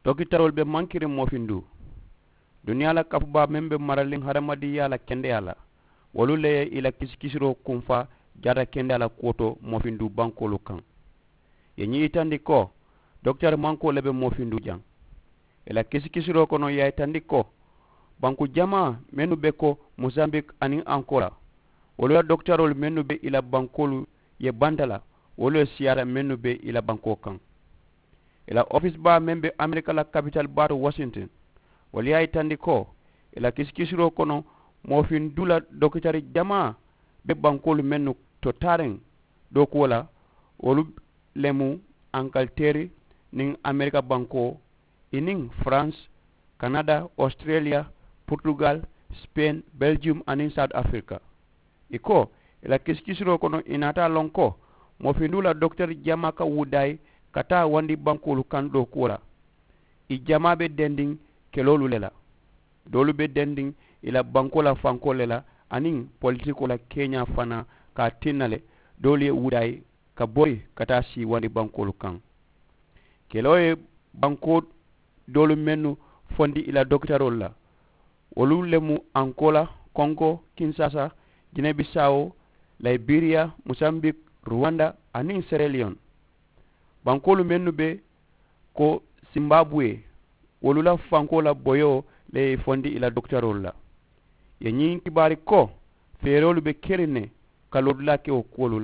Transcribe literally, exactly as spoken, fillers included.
Dokitaroolu be mankiriŋ moofinduu. Duniyaa la kafu baa meŋ be maraliŋ hadamadiŋyaa la kendeyaa la, wolu le ye i la kisikisiroo kunfaa jaata kendeyaa la kuwo to moofinduu bankoolu kaŋ. Ye ñiŋ yitandi ko dokitari mankoo le be moofinduu jaŋ. I la kisikisiroo kono ye a yitandi ko banku jamaa mennu be ko mosambik aniŋ ankola, wolu la dokitaroolu mennu be i la bankoolu ye banta la, wolu le siyaata mennu be i la bankoo kaŋ. I la ofisi baa meŋ be amerika la kapitali baa to washington, wolu ye a yitandi ko i la kisikisiroo kono moofin duu la dokitari jamaa be bankoolu mennu to taariŋ dookuwo la, wolu le mu ankaliteeri niŋ amerika bankoo, i niŋ farans, kanada, australia, portugal, spain, belgium aniŋ south africa. I ko i la kisikisiroo kono i naata a loŋ ko moofinduu la dokiteri jamaa ka wudaayi ka taa wandi bankoolu kaŋ dookuwo la. I jamaa be dendiŋ keloolu le la. Doolu be dendiŋ i la bankoo la fankoo le la aniŋ politikoo la keeñaa fanaa ka a tinna le doolu ye wudaayi ka bori ka taa sii wandi bankoolu kaŋ. Keloo ye bankoo doolu mennu fondi i la dokitaroolu la, wolu le mu ankola, kongo, kinsasa, jinebisawo, layiberiya, mosambik, ruwanda aniŋ sereliyoŋ. Bankoolu mennu be ko simbabuwe, wolu la fankoo la boyoo le ye i fondi i la dokitaroolu la. Ye ñiŋ kibaari ko feeroolu be keriŋ ne ka loodulaa ke wo kuwolu la.